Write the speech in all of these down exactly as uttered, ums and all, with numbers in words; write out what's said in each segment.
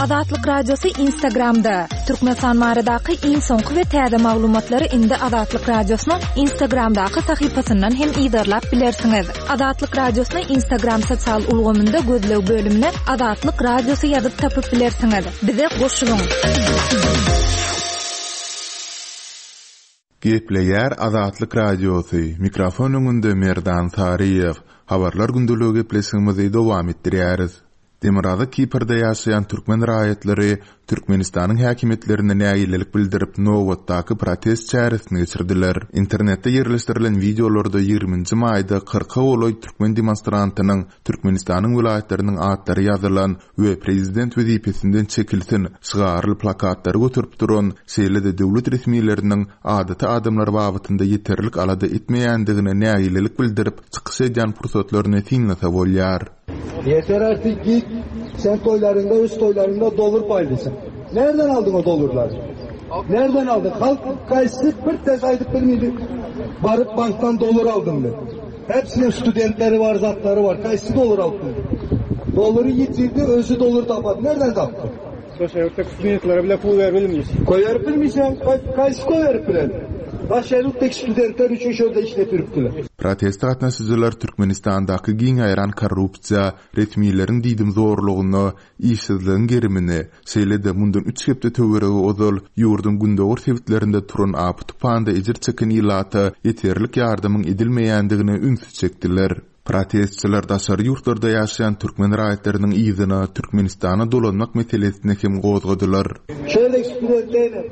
Azatlyk Radiosy Instagramda. Türkmenistan baradaky iň soňky we täze maglumatlary indi Azatlyk Radiosynyň Instagramdaky sahypasyndan hem yzarlap bilersiňiz. Azatlyk Radiosyny Instagram sosial ulgamynda gözleg bölümine Azatlyk Radiosy ýazyp tapyp bilersiňiz. Bize goşulyň. Gepleýär Azatlyk Radiosy. Mikrofon öňünde Merdan Saryýew. Habarlar gündeligi gepleşigimizi dowam etdirýäris. Demirgazyk Kiprde ýaşaýan türkmen raýatlary Türkmenistanyň häkimiýetlerine nägilelik bildirip, nobatdaky protest çäresini geçirdiler. Internetde ýerleşdirilen wideolarda ýigriminji maýda kyrka golaý türkmen demonstrantynyň Türkmenistanyň welaýatlarynyň atlary ýazylan we prezident wezipesinden çekilsin şygarly plakatlary göterip duran, şeýle-de döwlet resmileriniň adaty adamlar babatynda ýeterlik alada etmeýändigine nägilelik bildirip çykyş edýän pursatlaryny synlasa bolýar. Yeter artık git sen toylarında öz toylarında dolar paylaşın. Nereden aldın o dolarları? Nereden aldın? Halk kayısı bir tez aydıp bilmeydi. Varıp banktan dolar aldım dedi. Hepsinin studentleri var, zatları var. Kayısı dolar aldı. Doları yitirdi, özü dolar tapadı. Nereden taptı? Daşary studentlere bile pul verip Koyarıp bilmeysen, kayısı koyarıp bilen. Daşary studentler üçün şöyle işletiripdiler. Proteste gatnaşyjylar Türkmenistandaky giň ýaýran korrupsiýa, resmileriň diýdimzorlugyna, işsizligiň gerimini, şeýle-de mundan üç hepde töweregi ozal ýurduň gündogar sebitlerinde turan apy tupanda ejir çeken ilata ýeterlik ýardamyň edilmeýändigine ünsi çekdiler. Protestçiler daşary ýurtlarda ýaşaýan türkmen raýatlarynyň yzyna Türkmenistana dolanmak meselesini hem gozgadylar. Şöyle studentler,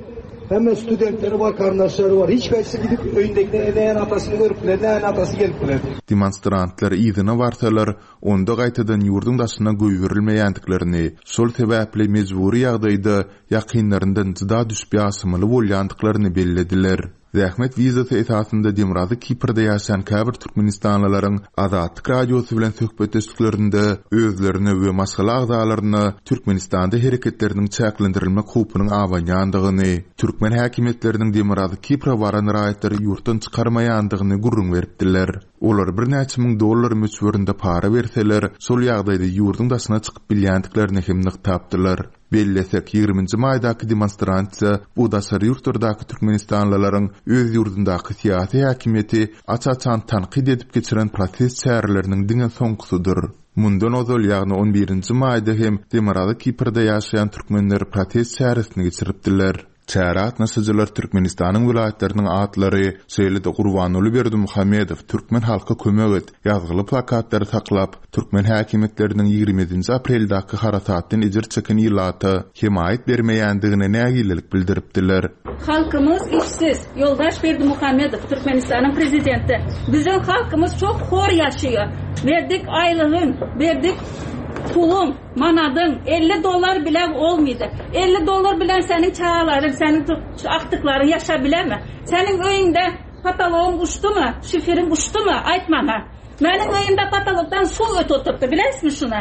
hemen studentleri var, kardeşleri var. Hiç kayısı gidip öyündeki ne atasını görüp ne atası gelip biler. Demonstrantlar yzyna barsalar, onda gaýtadan ýurduň daşyna goýberilmeýändiklerini, şol sebäpli mejbury ýagdaýda ýakynlaryndan jyda düşüp ýaşamaly bolýandyklaryny bellediler. Zähmet wizasy esasynda Demirgazyk Kiprde ýaşaýan käbir türkmenistanlylaryň Azatlyk Radiosy bilen söhbetdeşliklerinde özlerine we maşgala agzalaryna Türkmenistanda hereketleriniň çäklendirilmek howpunyň abanýandygyny, türkmen häkimiýetleriniň Demirgazyk Kipre baran raýatlary ýurtdan çykarmaýandygyny gürrüň beripdiler. Olar birnäçe müň dollar möçberinde para berseler, şol ýagdaýda ýurduň daşyna çykyp bilýändiklerini hem nygtapdylar. Bellesek, ýigriminji maýdaky demonstrasiýa bu daşary ýurtlardaky türkmenistanlylaryň öz ýurdundaky syýasy häkimiýeti aç-açan tankyt edip geçiren protest çäreleriniň diňe soňkusydyr. Mundan ozal, ýagny on birinji maýda hem Demirgazyk Kiprde ýaşaýan türkmenler protest çäresini geçiripdiler. Çäre gatnaşyjylar Türkmenistanyň welaýatlarynyň atlary, şeýle-de Gurbanguly Berdimuhamedow Türkmen halka kömek et ýazgyly plakatlary saklap, türkmen häkimiýetleriniň ýigrimi ýedinji apreldäki harasatdan ejir çeken ilata hemaýat bermeýändigine nägilelik bildiripdiler. Halkymyz işsiz. Ýoldaş Berdimuhamedow Türkmenistanyň prezidenti. Biziň halkymyz çok hor ýaşaýar. Berdik aýlygyň, berdik puluň, manadyň elli dollar bile olmaýdy. elli dollar bilen seniň çagalaryň, seniň aktyklaryň ýaşa bilermi? Seniň öýüňde patologyň uçdumy, şiferiň uçdumy? Aýt maňa. Meniň öýümde patologdan suw ötüp oturtdy, bilersiňmi şunu?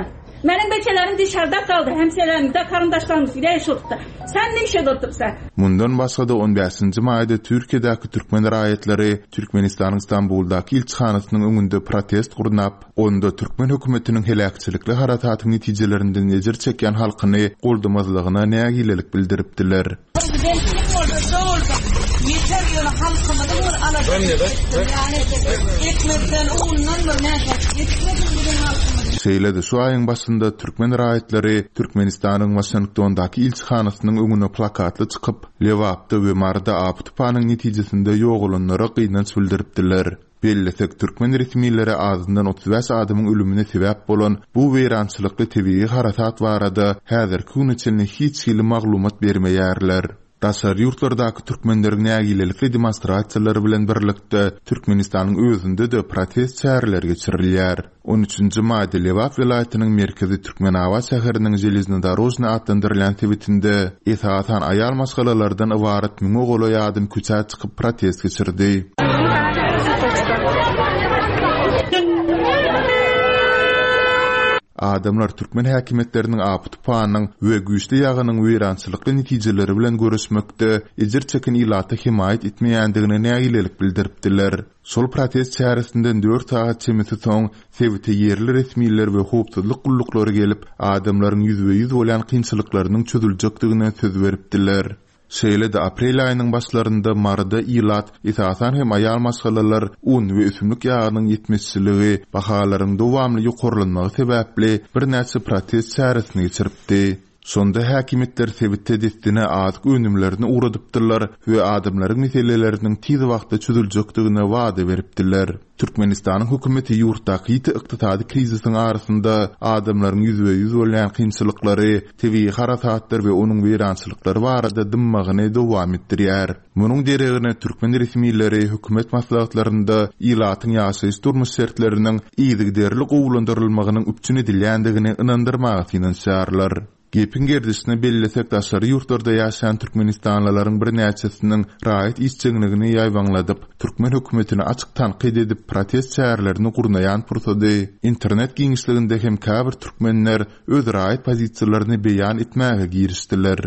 Meniň beçelerim dışarıda kaldy, hemşehrilerimde karındaşlarımız gidiyor oturtdy. Sen ne işe oturtsan? Mundan başga-da on bäşinji maýda Türkiýedäki türkmen raýatlary Türkmenistanyň Stambuldaky ilçihanasynyň öňünde protest gurnap, onda türkmen hökümetiniň heläkçilikli harasatyň netijelerinden ejir çekýän halkyny goldamazlygyna nägilelik bildiripdiler. Prezident kim bolsa, bolsa, yeter ýöne halkymyzy bir alada yani ekmekden, undan bir näçe yetmedi bizim halkymyz. Şeýle-de şu aýyň başynda türkmen raýatlary Türkmenistanyň Waşingtondaky ilçihanasynyň öňüne plakatly çykyp, Lebapda we Maryda apy tupanyň netijesinde ýogalanlara gynanç bildiripdiler. Bellesek, türkmen resmileri azyndan otuz bäş adamyň ölümine sebäp bolan bu weýrançylykly tebigy harasat barada häzirki güne çenli hiç hili maglumat bermeýärler. Daşary ýurtlardaky türkmenleriň nägilelikli demonstrasiýalary bilen birlikde Türkmenistanyň özünde-de protest çäreleri geçirilýär. On üçünji maýda Lebap welaýatynyň merkezi Türkmenabat şäheriniň Železnodorojny atlandyrylýan sebitinde esasan aýal maşgalalardan ybarat müňe golaý adam köçä çykyp protest geçirdi. Adamlar türkmen häkimiýetleriniň apy-tupanyň we güýçli ýagynyň weýrançylykly netijeleri bilen göreşmekde ejir çeken ilata hemaýat etmeýändigine nägilelik bildiripdiler. Şol protest çäresinden dört sagat çemesi soň sebite ýerli resmiler we howpsuzlyk gulluklary gelip, adamlaryň ýüzbe-ýüz bolýan kynçylyklarynyň çözüljekdigine söz beripdiler. Şeýle-de aprel aýynyň başlarynda Maryda ilat, esasan hem aýal maşgalalar un we ösümlik ýagynyň ýetmezçiligi, bahalaryň dowamly ýokarlanmagy sebäpli birnäçe protest çäresini geçiripdi. Şonda häkimiýetler sebitde dessine azyk önümlerini ugradypdylar we adamlaryň meseleleriniň tiz wagtda çözüljekdigine wada beripdiler. Türkmenistanyň hökümeti ýurtdaky ýiti ykdysady krizisiň arasynda adamlaryň ýüzbe-ýüz bolýan kynçylyklary, tebigy harasatlar we onuň weýrançylyklary barada dymmagyny dowam etdirýär. Munuň deregine türkmen resmileri hökümet maslahatlarynda ilatyň ýaşaýyş-durmuş şertleriniň yzygiderli gowulandyrylmagynyň üpjün edilýändigini ynandyrmaga synanyşýarlar. Gepiň gerdişine bellesek, daşary ýurtlarda ýaşaýan türkmenistanlylaryň birnäçesiniň raýat işjeňligini ýaýbaňladyp, türkmen hökümetini açyk tankyt edip protest çärelerini gurnaýan pursady, internet giňişliginde hem käbir türkmenler öz raýat pozisiýalaryny beýan etmäge girişdiler.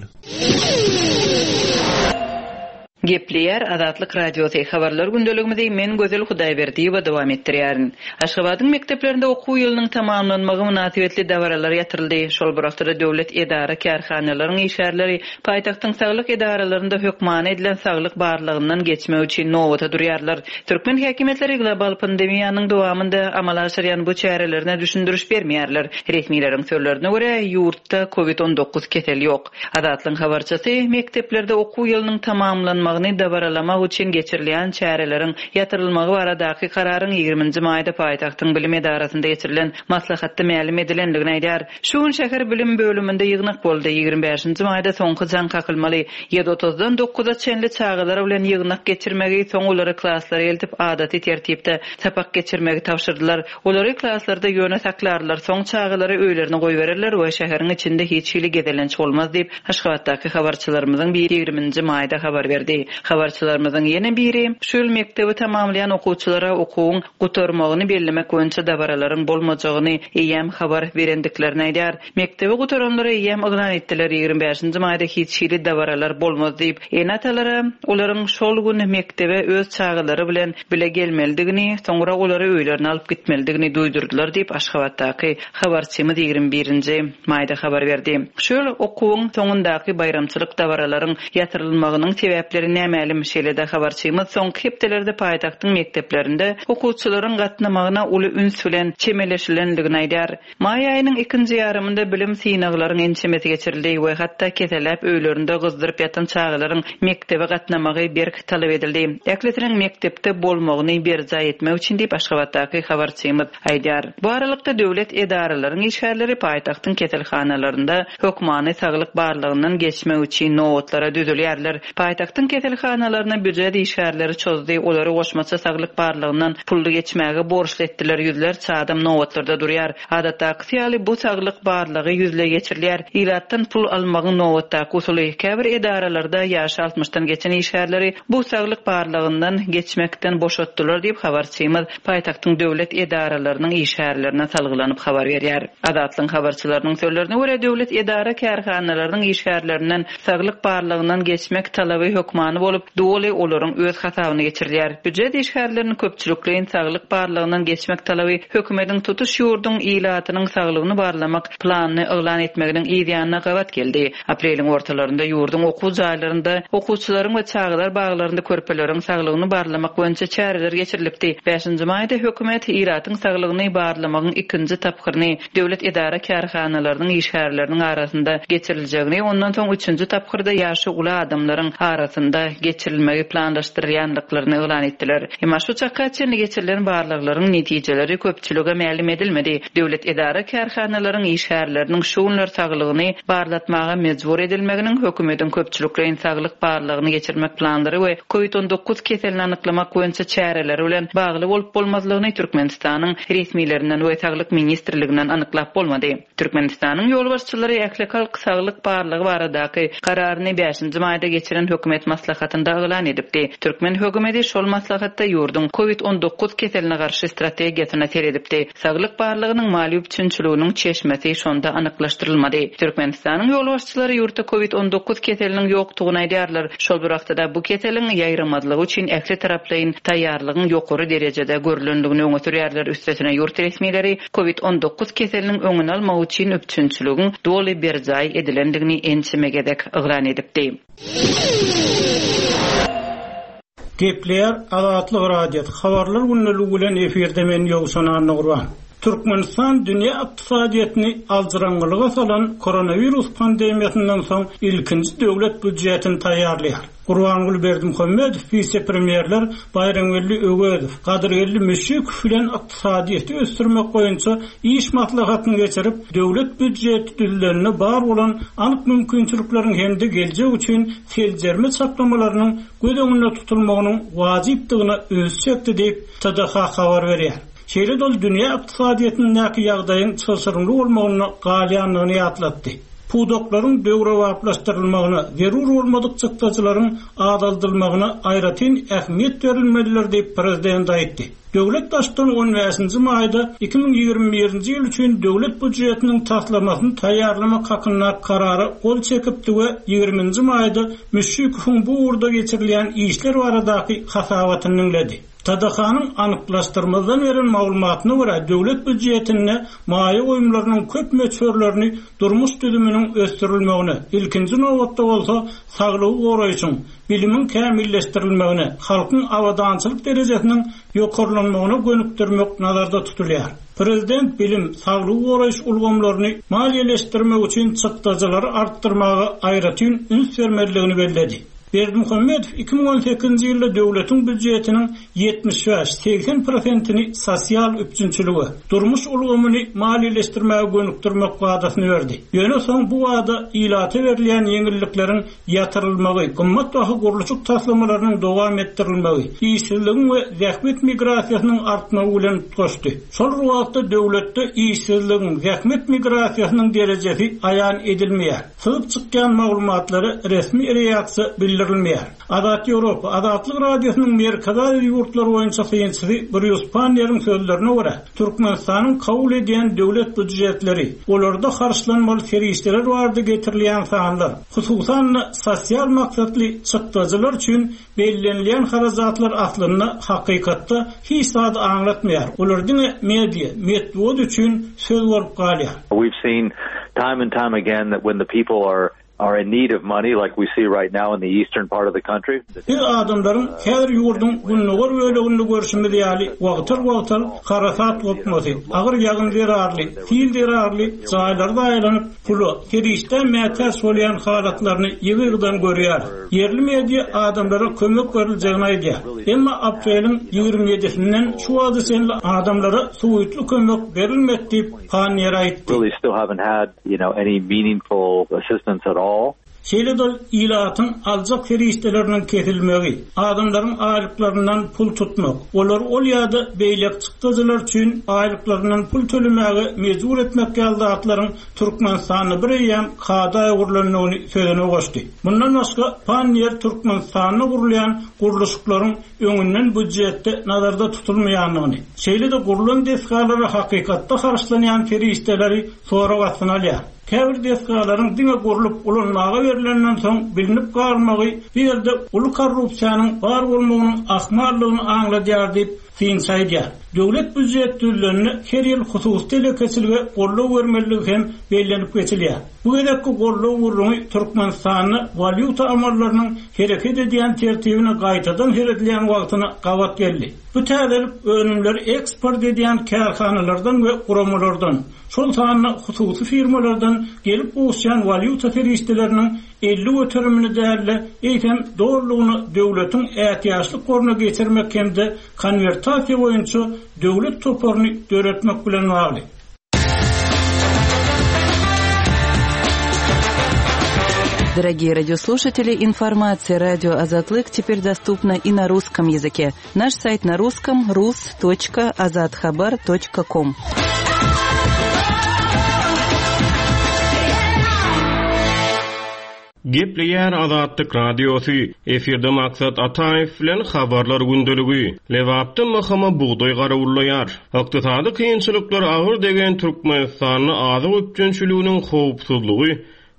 Gepleýär Azatlyk Radiosy habarlar gündeligimizi men Gözel Hudaýberdiýewa dowam etdirýärin. Aşgabadyň mekdeplerinde okuw ýylynyň tamamlanmagy mynasybetli dabaralar ýatyryldy. Şol bir wagtda döwlet edara kärhanalaryň işgärleri paýtagtyň saglyk edaralarynda hökmany edilen saglyk barlagyndan geçmek üçin nobata durýarlar. Türkmen häkimiýetleri global pandemiýanyň dowamynda amala aşyrýan bu çärelerine düşündiriş bermeýärler. Resmileriň sözlerine görä ýurtda COVID on dokuz keseli ýok. Azatlyk habarçysy mekdeplerde okuw ýylynyň tamamlanmagyny dabaralamak üçin geçirilýän çäreleriň ýatyrylmagy baradaky kararyň ýigriminji maýda paýtagtyň bilim edarasynda geçirilen maslahatda mälim edilendigini aýdar. Şu gün şäher bilim bölüminde ýygnak boldy. Ýigirmi bäşinji maýda soňky jaň kakylmaly. Ýedi otuzdan dokuza çenli çagalar bilen ýygnak geçirmegi, soň olary klaslara eltip adaty tertipde sapak geçirmegi tabşyrdylar. Olary klaslarda ýöne saklarlar, soň çagalary öýlerine goýbererler we şäheriň içinde hiç hili gezelenç bolmaz diýip Aşgabatdaky habarçylarymyzyň biri ýigriminji maýda habar berdi. Habarçylarymyzyň ýene biri şu ýyl mekdebi tamamlaýan okuwçylara okuwyň gutarmagyny bellemek boýunça dabaralaryň bolmajagyny eýýäm habar berendiklerini aýdar. Mekdebi gutaranlara eýýäm yglan etdiler. Ýigirmi bäşinji maýda hiç hili dabaralar bolmaz diýip, ene-atalara olaryň şol gün mekdebe öz çagalary bilen bile gelmelidigini, soňra olary öýlerine alyp gitmelidigini duýdurdylar diýip Aşgabatdaky habarçymyz ýigirmi birinji maýda habar berdi. Şu ýyl okuwyň soňundaky baýramçylyk dabaralaryň ýatyrylmagynyň sebäpleri nämälim. Şeýle-de habarçymyz soňky hepdelerde paýtagtyň mekdeplerinde okuwçylaryň gatnamagyna uly üns bilen çemeleşilendigini aýdar. Maý aýynyň ikinji ýarymynda bilim synaglaryň ençemesi geçirildi we hatda keseläp öýlerinde gyzdyryp ýatan çagalaryň mekdebe gatnamagy berk talap edildi. Ählisiniň mekdepde bolmagyny berjaý etmek üçin diýip Aşgabatdaky habarçymyz aýdar. Bu aralykda döwlet edaralaryň işgärleri paýtagtyň keselhanalarynda hökmany saglyk barlagyndan geçmek üçin nobatlara düzülýärler. Paýtagtyň keselhanalaryna býujet işgärleri çozdy, olary goşmaça saglyk barlagyndan pully geçmäge borçly etdiler. Ýüzlerçe adam nobatlarda durýar. Adatdaky ýaly bu saglyk barlagy ýüzle geçirilýär. Ilatdan pul almagyň nobatdaky usuly. Käbir edaralarda ýaşy altmyşdan geçen işgärleri bu saglyk barlagyndan geçmekden boşatdylar diýip habarçymyz paýtagtyň döwlet edaralarynyň işgärlerine salgylanyp habar berýär. Azatlygyň habarçylarynyň sözlerine görä döwlet edara kärhanalarynyň işgärlerinden saglyk barlagyndan geçmek talaby hökmany bolup, doly olaryň öz hasabyna geçirilýär. Býujet işgärleriniň köpçülikleýin saglyk barlagyndan geçmek talaby hökümetiň tutuş ýurduň ilatynyň saglygyny barlamak planyny yglan etmeginiň yz ýanyna gabat geldi. Apreliň ortalarynda ýurduň okuw jaýlarynda okuwçylaryň we çagalar baglarynda körpeleriň saglygyny barlamak boýunça çäreler geçirilipdi. Bäşinji maýda hökümet ilatyň saglygyny barlamagyň ikinji tapgyryny döwlet edara kärhanalarynyň işgärleriniň arasynda geçiriljegini, ondan soň üçünji tapgyrda ýaşy uly adamlaryň arasynda geçirilmegi planlaşdyrylýandyklaryny yglan etdiler. Emma şu çaka çenli geçirilen barlaglaryň netijeleri köpçülige mälim edilmedi. Döwlet edara kärhanalaryň işgärleriniň şu günler saglygyny barlatmaga mejbur edilmeginiň hökümetiň köpçülikleýin saglyk barlagyny geçirmek planlary we COVID on dokuz keselini anyklamak boýunça çäreleri bilen bagly bolup bolmazlygyny Türkmenistanyň resmilerinden we saglyk ministrliginden anyklap bolmady. Türkmenistanyň ýolbaşçylary ähli halk saglyk barlagy baradaky kararyny bäşinji maýda geçiren hökümet maslahatynda yglan edipdi. Türkmen hökümeti şol maslahatda ýurduň COVID on dokuz keseline garşy strategiýasyna seredipdi. Saglyk barlygynyň maliýe üpjünçiliginiň çeşmesi şonda anyklaşdyrylmady. Türkmenistanyň ýolbaşçylary ýurtda COVID on dokuz keseliniň ýokdugyny aýdýarlar. Şol bir wagtda bu keseliň ýaýramazlygy üçin ähli taraplaryň taýýarlygyň ýokary derejede görülendigini öňe sürýärler. Üstesine ýurt resmileri COVID on dokuz keseliniň öňüni almak üçin üpjünçiligiň doly berjaý edilendigini ençeme gezek yglan edipdi. Gepleýär Azatlyk Radiosy habarlar günlügi bilen efirde men Ýowşan Annagurban. Türkmenistan dünýä ykdysadyýetini aljyraňňylyga salan koronawirus pandemiýasyndan soň ilkinji döwlet býudjetini taýýarlaýar. Gurbanguly Berdimuhamedow wise-premýerler Baýramgeldi Öwezow, Gadyrgeldi Müşşikow bilen ykdysadyýeti ösdürmek boýunça iş maslahatyny geçirip, döwlet býudjeti düzülenine bar bolan anyk mümkinçilikleriň hem-de geljek üçin seljerme çaklamalarynyň göz öňünde tutulmagynyň wajypdygyna üns çekdi diýip T D H habar berýär. Şeýle dol dünýä ykdysadyýetindäki ýagdaýyň çylşyrymly bolmagyna galýandygyny ýatlatdy. Pudaklaryň döwrebaplaşdyrylmagyna, zerur bolmadyk çykdajylaryň azaldylmagyna aýratyn ähmiýet berilmelidir diýip prezident aýtdy. Döwlet baştutany on bäşinji maýda iki müň ýigrimi birinji ýyl üçin döwlet býudjetiniň taslamasyny taýýarlamak hakynda karara gol çekipdi we ýigriminji maýda Müşşikowyň bu ugurda geçirilýän işler baradaky hasabatyny diňledi. T D H-nyň anyklaşdyrmadan beren maglumatyna görä döwlet býudjetinde maýa goýumlarynyň köp möçberlerini durmuş düzüminiň ösdürilmegine, ilkinji nobatda bolsa saglygy goraýşyň, bilimiň kämilleşdirilmegine, halkyň abadançylyk derejesiniň ýokarlanmagyna gönükdirmek nazarda tutulýar. Prezident bilim, saglygy goraýyş ulgamlaryny maliýeleşdirmek üçin çykdajylary artdyrmaga aýratyn üns bermelidigini belledi. Berdimuhamedow iki müň on sekizinji ýylda döwletiň býudjetiniň ýetmiş bäş segsen prosentini sosial üpjünçilige, durmuş ulgamyny maliýeleşdirmäge gönükdirmek wadasyny berdi. Ýöne soň bu wada ilata berilýän ýeňillikleriň ýatyrylmagy, gymmat baha gurluşyk taslamalarynyň dowam etdirilmegi, işsizligiň we zähmet migrasiýasynyň artmagy bilen tutuşdy. Şol wagtda döwletde işsizligiň, zähmet migrasiýasynyň derejesi aýan edilmeýär. Syzyp çykýan maglumatlara resmi reaksiýa bildirilmeýär. Azat Ýewropa, Azatlyk Radiosynyň Merkezi Aziýa ýurtlary boýunça synçysy Brýus Panneriň sözlerine görä, Türkmenistanyň kabul edýän döwlet býudjetleri, olarda harçlanmaly serişdeler barada getirilýän sanlar, hususan-da sosial maksatly çykdajylar üçin bellenilýän harajatlar aslynda hakykatda hiç zat aňlatmaýar. Olar diňe media, metbugat üçin söz bolup galýar. We've seen time and time again that when the people are, are in need of money, like we see right now in the eastern part of the country. Biz adamlaryň her ýurduň gündogar böleginde görüşimiz ýaly wagtal-wagtal harasat gopmasy, agyr ýagyn zerarly, sil zerarly jaýlar daýlanyp, pula, serişdä mätäç bolýan halatlaryny ýygy-ýygydan görýär. Ýerli media adamlara kömek beriljegini aýdýar. Emma apreliň ýigrimi ýedisinden şu wagta çenli adamlara suwutly kömek berilmedi diýip Panniýer aýtdy. Really still haven't had, you know, any meaningful assistance at all. Şeýle dol ilatyň aljak serişdeleriniň kesilmegi, adamlaryň aýlyklaryndan pul tutmak, olar ol ýa-da beýleki çykdajylar üçin aýlyklaryndan pul tölemäge mejbur etmek ýaly zatlaryň Türkmenistanda bir eýýäm kada öwrülendigini sözüne goşdy. Mundan başga Panniýer Türkmenistanda gurulýan gurluşyklaryň öňünden býudjetde nazarda tutulmaýandygyny, şeýle-de gurulan desgalara hakykatda harçlanýan serişdeleri sorag astyna alýar. Käbir desgalaryň diňe gurlup ulanmaga berilenden soň bilinip galmagy bu ýerde uly korrupsiýanyň bar bolmagynyň ahmallygyny aňladýar diýip synçy aýdýar. Döwlet býudjet düzüleninde her ýyl hususy telekeçilige goldaw bermeliligi hem bellenip geçilýär. Bu gezekki goldaw gurlugy Türkmenistanda walýuta amallarynyň hereket edýän tertibine gaýtadan seredilýän wagtyna gabat geldi. Bu täzelik önümleri eksport edýän kärhanalardan we guramalardan, şol sanda hususy firmalardan gelip gowuşýan walýuta serişdeleriniň elli göterimini däl-de, eýsem dolulygyny döwletiň ätiýaçlyk goruna geçirmek hem-de konwertasiýa boýunça döwlet toparyny döretmek bilen bagly. Дорогие радиослушатели, информация радио Азатлык теперь доступна и на русском языке. Наш сайт на русском рус точка азатхабар точка ком. Gepleýär Azatlyk Radiosy. Efirde Maksat Ataýew bilen habarlar gündeligi. Lebapda M H M bugdaý garawullaýar. Ykdysady kynçylyklar agyr degen Türkmenistanda azyk üpjünçiliginiň howpsuzlygy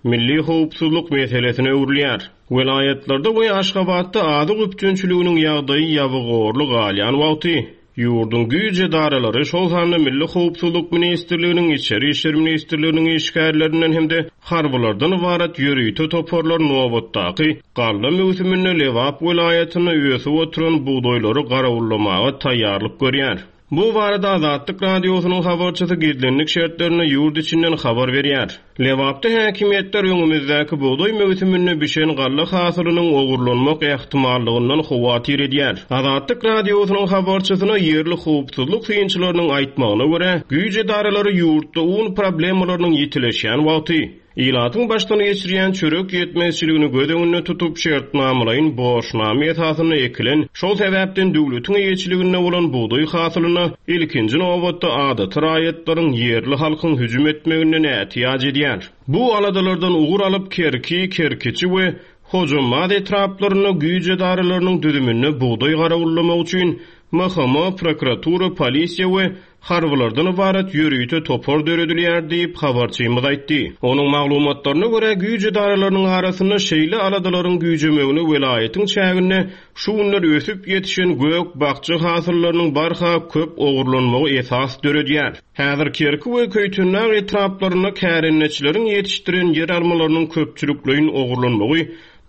milli howpsuzlyk meselesine öwrülýär. Welaýatlarda we Aşgabatda azyk üpjünçiliginiň ýagdaýy ýabygorly galýan wagty ýurduň güýç edaralary, şol sanda Milli Howpsuzlyk Ministrliginiň, Içeri Işler Ministrliginiň işgärlerinden hem-de harbylardan ybarat ýörite toparlar nobatdaky galla möwsüminde Lebap welaýatynda ösüp oturan bugdaýlary garawullamaga taýýarlyk görýär. Bu barada Azatlyk Radiosynyň habarçysy gizlenlik şertlerinde ýurt içinden habar berýär. Lebapda häkimiýetler öňümizdäki bugdaý möwsüminde bişen galla hasylynyň ogurlanmak ähtimallygyndan howatyr edýär. Azatlyk Radiosynyň habarçysyna ýerli howpsuzlyk synçylarynyň aýtmagyna görä, güýç edaralary ýurtda un problemalarynyň ýitileşýän wagty ilatyň başdan geçirýän çörek ýetmezçiligini göz öňünde tutup şertnamalaýyn borçnama esasynda ekilen, şol sebäpden döwletiň eýeçiliginde bolan bugdaý hasylyna ilkinji nobatda adaty raýatlaryň ýerli halkyň hüjüm etmeginden ätiýaç edýär. Bu aladalardan ugur alyp Kerki, Kerkiçi we Hojambaz etraplarynda güýç edaralarynyň düzüminde bugdaý garawullamak üçin M H M, prokuratura, polisiýa we harbylardan ybarat ýörite topar döredilýär diýip habarçymyz aýtdy. Onuň maglumatlaryna görä güýç edaralarynyň arasynda şeýle aladalaryň güýjemegini welaýatyň çäginde şu günler ösüp ýetişen gök bakja hasyllarynyň barha köp ogurlanmagy esas döredýär. Häzir Kerki we Köýtendag etraplarynda kärendeçileriň ýetişdiren ýer almalarynyň köpçülikleýin ogurlanmagy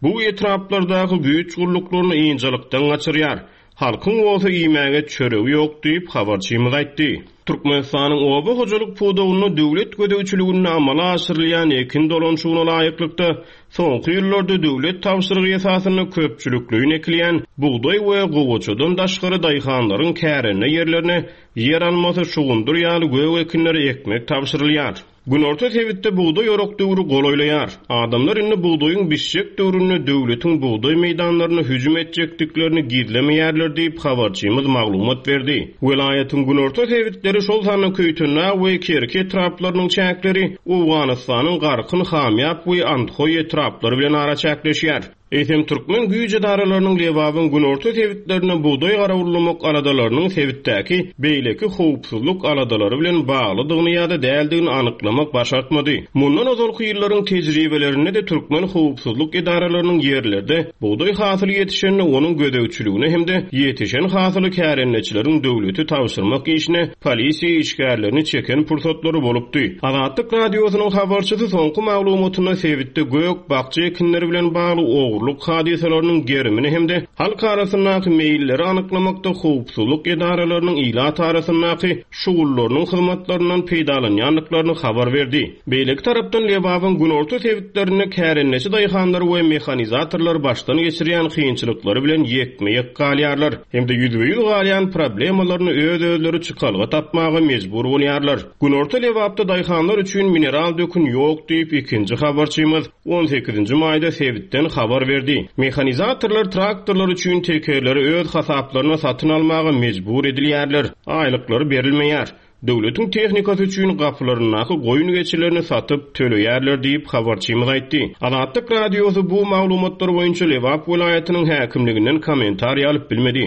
bu etraplardaky güýç gulluklaryny ynjalykdan gaçyrýar. Halkyň bolsa iýmäge çöregi ýok diýip habarçymyz aýtdy. Türkmenistanyň oba hojalyk pudagynda döwlet gözegçiliginde amala aşyrylýan ekin dolanşygyna laýyklykda soňky ýyllarda döwlet tabşyrygy esasynda köpçülikleýin ekilýän bugdaý we gowaçadan daşgary daýhanlaryň kärende ýerlerine ýer almasy şugundyr ýaly gök ekinleri ekmek tabşyrylýar. Günorta sebitde bugdaý orak döwri golaýlaýar. Adamlar indi bugdaýyň bişjek döwründe döwletiň bugdaý meýdanlaryna hüjüm etjekdiklerini gizlemeýärler diýip habarçymyz maglumat berdi. Welaýatyň günorta sebitleri şol sanda Köýtendag we Kerki etraplarynyň çäkleri Owganystanyň Garkyn, Hamýap we Andhoý etraplary bilen araçäkleşýär. Eýsem türkmen güýç edaralarynyň Lebabyň günorta sebitlerine bugdaý garawullamak aladalarynyň sebitdäki beýleki howpsuzlyk aladalary bilen baglydygyny ýa-da däldigini anyklamak başartmady. Mundan ozalky ýyllaryň tejribelerinde de türkmen howpsuzlyk edaralarynyň ýerlerde bugdaý hasyly ýetişende onuň gözegçiligine hem-de ýetişen hasyly kärendeçileriň döwleti tabşyrmak işine polisiýa işgärlerini çeken pursatlary bolupdy. Azatlyk Radiosynyň habarçysy soňky maglumatynda sebitde gök bakja ekinleri bilen bagly ogurlyk hadysalarynyň gerimini hem-de halk arasyndaky meýilleri anyklamakda howpsuzlyk edaralarynyň ilat arasyndaky şugullarynyň hyzmatlaryndan peýdalanýandyklaryny habar berdi. Beýleki tarapdan Lebabyň günorta sebitlerinde kärendeçi daýhanlar we mehanizatorlar başdan geçirýän kynçylyklary bilen ýekme-ýek galýarlar hem-de ýüzbe-ýüz galýan problemalaryny öz-özleri çykalga tapmaga mejbur bolýarlar. Günorta Lebapda daýhanlar üçin mineral dökün ýok diýip ikinji habarçymyz on sekizinji maýda sebitden habar berdi. Mehanizatorlar traktorlar üçin tekerleri öz hasaplaryna satyn almaga mejbur edilýärler. Aýlyklary berilmeýär. Döwletiň tehnikasy üçin gapylaryndaky goýun geçilerini satyp töleýärler diýip habarçymyz aýtdy. Azatlyk Radiosy bu maglumatlar boýunça Lebap welaýatynyň häkimliginden kommentariý alyp bilmedi.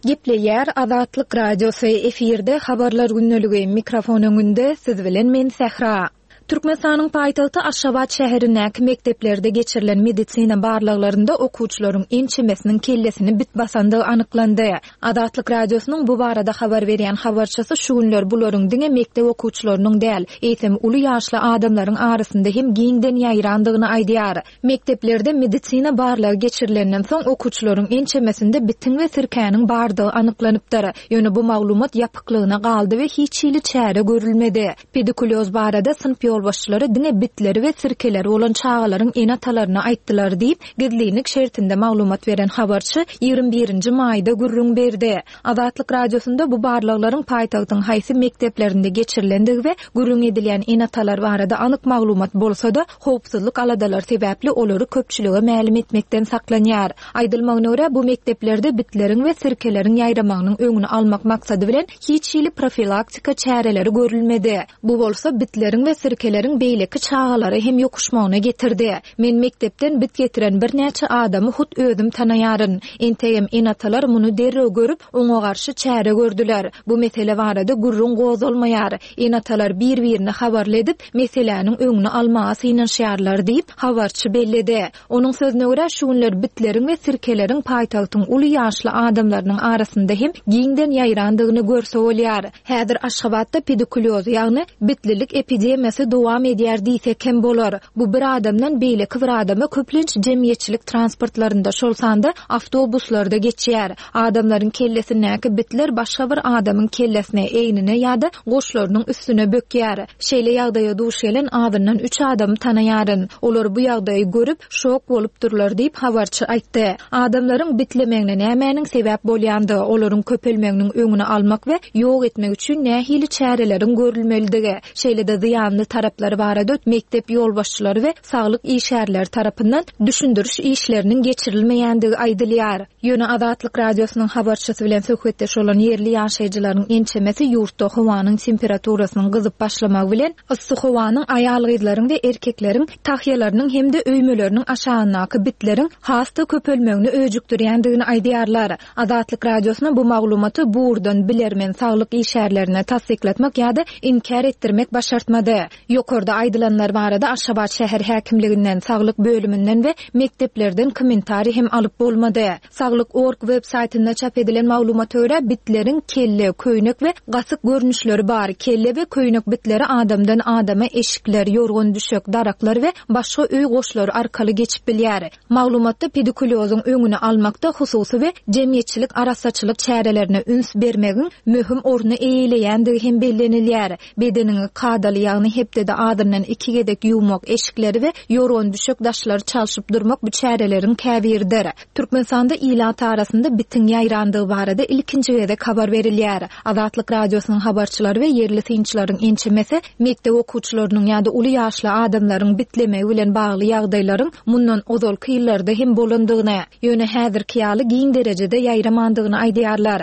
Gepleýär Azatlyk Radiosy efirde habarlar gündeligi mikrofon öňünde siz bilen men Sähra. Türkmenistanyň paýtagty Aşgabat şäherindäki mekdeplerde geçirilen medisina barlaglarynda okuwçylaryň ençemesiniň kellesini bit basandygy anyklandy. Azatlyk Radiosynyň bu barada habar berýän habarçysy şu günler bularyň diňe mekdep okuwçylarynyň däl, eýsem uly ýaşly adamlaryň arasynda hem giňden ýaýrandygyny aýdýar. Mekdeplerde medisina barlagy geçirilenden soň okuwçylaryň ençemesinde bitiň we sirkäniň bardygy anyklanypdyr. Ýöne bu maglumat ýapyklygyna galdy we hiç hili çäre görülmedi. Pedikulyoz barada synp ýolbaşçylary diňe bitleri we sirkeleri bolan çagalaryň ene-atalaryna aýtdylar diýip, gizlinlik şertinde maglumat beren habarçy ýigrimi birinji maýda gürrüň berdi. Azatlyk Radiosynda bu barlaglaryň paýtagtyň haýsy mekdeplerinde geçirilendigi we gürrüň edilýän ene-atalar barada anyk maglumat bolsa-da, howpsuzlyk aladalary sebäpli olary köpçülige mälim etmekden saklanýar. Aýdylmagyna görä, bu mekdeplerde bitleriň we sirkeleriň ýaýramagynyň öňüni almak maksady bilen hiç hili profilaktika çäreleri görülmedi. Bu bolsa bitleriň we sirkeleriň sirkeleriň beýleki çagalara hem ýokuşmagyna getirdi. Men mekdepden bit getiren birnäçe adamy hut özüm tanaýaryn. Entegem ene-atalar muny derrew görüp, oňa garşy çäre gördüler. Bu mesele barada gürrüň gozgalmaýar. Ene-atalar bir-birini habarly edip, meseläniň öňüni almaga synanyşýarlar diýip, habarçy belledi. Onuň sözüne görä, şu günler bitleriň we sirkeleriň paýtagtyň uly ýaşly adamlarynyň arasynda hem giňden ýaýrandygyny görse bolýar. Häzir Aşgabatda pedikulyoz, ýagny bitlilik epidemiýasy dowam edýär diýsek hem bolar. Bu bir adamdan beýleki bir adama köplenç jemgyýetçilik transportlarynda, şol sanda awtobuslarda geçýär. Adamlaryň kellesindäki bitler başga bir adamyň kellesine, egnine ýa-da goşlarynyň üstüne bökýär. Şeýle ýagdaýa duş gelen azyndan üç adamy tanaýaryn. Olar bu ýagdaýy görüp, şok bolupdyrlar diýip habarçy aýtdy. Adamlaryň bitlemegine nämäniň sebäp bolýandygy, olaryň köpelmeginiň öňüni almak we ýok etmek üçin nähili çäreleriň görülmelidigi, şeýle-de zyýanly taraplary barada mekdep ýolbaşçylary we saglyk işgärleri tarapyndan düşündiriş işleriniň geçirilmeýändigi aýdylýar. Ýöne Azatlyk radiosynyň habarçysy bilen söhbetdeş bolan ýerli ýaşaýjylaryň ençemesi ýurtda howanyň temperaturasynyň gyzyp başlamagy bilen yssy howanyň aýal-gyzlaryň we erkekleriň tahýalarynyň hem-de öýmeleriniň aşagyndaky bitleriň has-da köpelmegini öjükdirýändigini aýdýarlar. Azatlyk radiosyna bu maglumaty bu ugurdan bilermen saglyk işgärlerine tassyklatmak ýa-da inkär etdirmek başartmady. Ýokarda aýdylanlar barada Aşgabat şäher häkimliginden, saglyk bölüminden we mekdeplerden kommentariý hem alyp bolmady. Saglyk org web saýtynda çap edilen maglumata görä bitleriň kelle, köýnek we gasyk görnüşleri bar. Kelle we köýnek bitleri adamdan adama eşikler, ýorgan düşek, daraklar we başga öý goşlary arkaly geçip bilýär. Maglumatda pedikulyozyň öňüni almakda hususy we jemgyýetçilik arassaçylyk çärelerine üns bermegiň möhüm orny eýeleýändigi hem bellenilýär. Bedeniňi kadaly, ýagny hepdede azyndan iki gezek ýuwmak, eşikleri we ýorgan düşek daşlary çalşyp durmak bu çäreleriň käbiridir. Türkmenistanda ilat arasynda bitiň ýaýrandygy barada ilkinji gezek habar berilýär. Azatlyk radiosynyň habarçylary we ýerli synçylaryň ençemesi mekdep okuwçylarynyň ýa-da uly ýaşly adamlaryň bitlemegi bilen bagly ýagdaýlaryň mundan ozalky ýyllarda hem bolandygyny, ýöne häzirki ýaly giň derejede ýaýramandygyny aýdýarlar.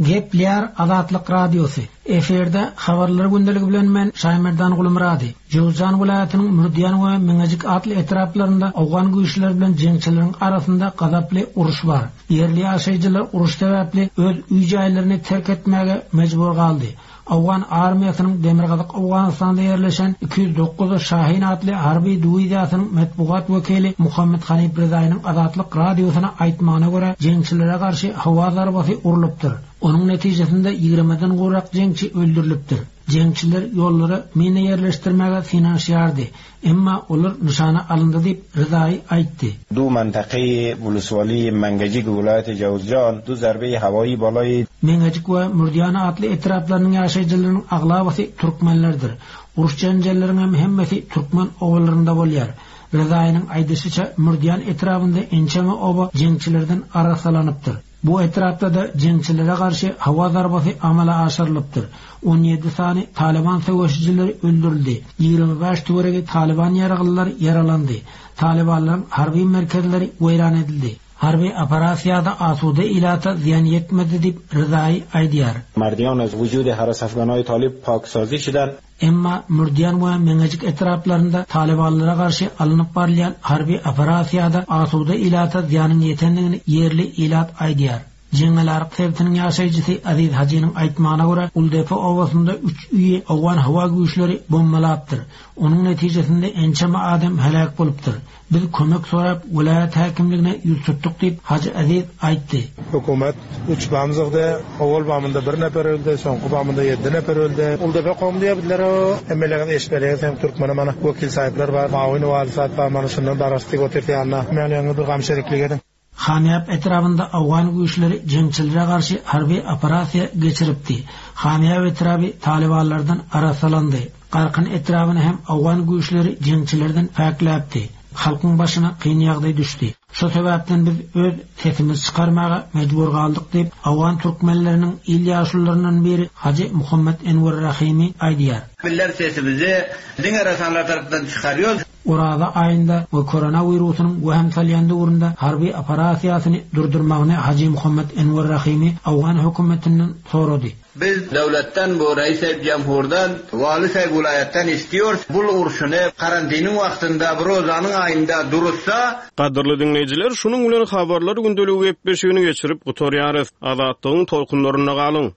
Gepleýär Azatlyk Radiosy. Efirde habarlar gündeligi bilen men Şaýmerdan Gulmurady. Jowzjan welaýatynyň Mürdýan we Meňejik atly etraplarynda Owgan güýçleri bilen jeňçileriň arasynda gazaply uruş bar. Ýerli ýaşaýjylar uruş sebäpli öz öý jaýlaryny terk etmäge mejbur galdy. Owgan armiýasynyň Demirgazyk Owganystanda ýerleşen iki ýüz dokuz Şahin atly harby diwiziýasynyň metbugat wekili Muhammed Hanif Rezaýynyň Azatlyk radiosyna aýtmagyna görä jeňçilere garşy howa zarbasy urlupdyr. Onuň netijesinde ýigrimiden gowrak jeňçi öldürilipdir. Jeňçiler ýollara mina ýerleşdirmäge synanyşýardy. Emma olar nyşana alyndy diýip Rezaý aýtdy. Du منطقه ولسوالی منگجیک ولایت جوزجان du zarbe hawai balay Meňejik we Mürdýan atly etraplarynyň ýaşaýjylarynyň aglabasy türkmenlerdir. Uruş janjalleriň hem hemmesi türkmen obalarynda bolýar. Rezaýynyň aýdyşyça Mürdýan etrabynda ençeme oba jeňçilerden arasalanypdyr. Bu etrapda da jeňçilere garşy howa zarbasy amala aşyrylypdyr. on ýedi sany Taliban söweşijileri öldürildi. Ýigrimi bäş töweregi Taliban ýaraglylar ýaralandy. Talibanlaryň harby merkezleri weýran edildi. Harby operasiýada asuda ilata zyýan ýetmedi diýip Rezaý aýdýar. Mardiyan az vücud harass afganay talib paksazi şidan. Emma Mürdýan we Meňejik etraplarynda Talibanlara garşy alnyp barylýan harby operasiýada asuda ilata zyýanyň ýetendigini ýerli ilat aýdýar. Jeňňelaryk sebitiniň ýaşaýjysy Aziz Hajynyň aýtmagyna görä Uldepe obasynda üç öýi Owgan howa güýçleri bombalapdyr. Onuň netijesinde ençeme adam heläk bolupdyr. Biz kömek sorap welaýat häkimligine ýüz tutduk diýip Hajy Aziz aýtdy. Hökümet üç bamzygda, owal bamynda bir nefer öldi, soňky bamynda ýedi nefer öldi. Uldepe kom diýip bildiler, hemmeleriň eşbelegi hem türkmene mana wekil sahipler bar, mawin wali sahip bar, mana şundan darasty göterdi ýanyna. Men ýaňy bir gam şeriklik edin. Hamiýap etrabynda Owgan güýçleri jeňçilere garşy harby operasiýa geçiripdi. Hamiýap etraby Talibanlardan arasalandy. Garkyn etrabyny hem Owgan güýçleri jeňçilerden päkläpdi. Halkyň başyna kyn ýagdaý düşdi. Şu sebäpden biz öz sesimizi çykarmaga mejbur galdyk diýip Owgan türkmenleriniň il ýaşulularyndan biri Hajy Muhammed Enwer Rahimi aýdýar. Miller sesimizi diňe rasanlar tarapyndan çykarýarys. Oraza aýynda we koronawirusynyň wehim salýan döwründe harby operasiýasyny durdurmagyny Haji Muhammet Enwer Rahimi Owgan hökümetinden sorady. Biz döwletden bu reis cemhurdan, vali sahip vilayetden istiyoruz. Bul urşuny karantiniň wagtynda bu rozanyň aýynda durursa Gadyrly diňleýjiler, şunuň bilen habarlar gündeligi gepleşigini geçirip gutarýarys. Azatlygyň tolkunlarynda galyň.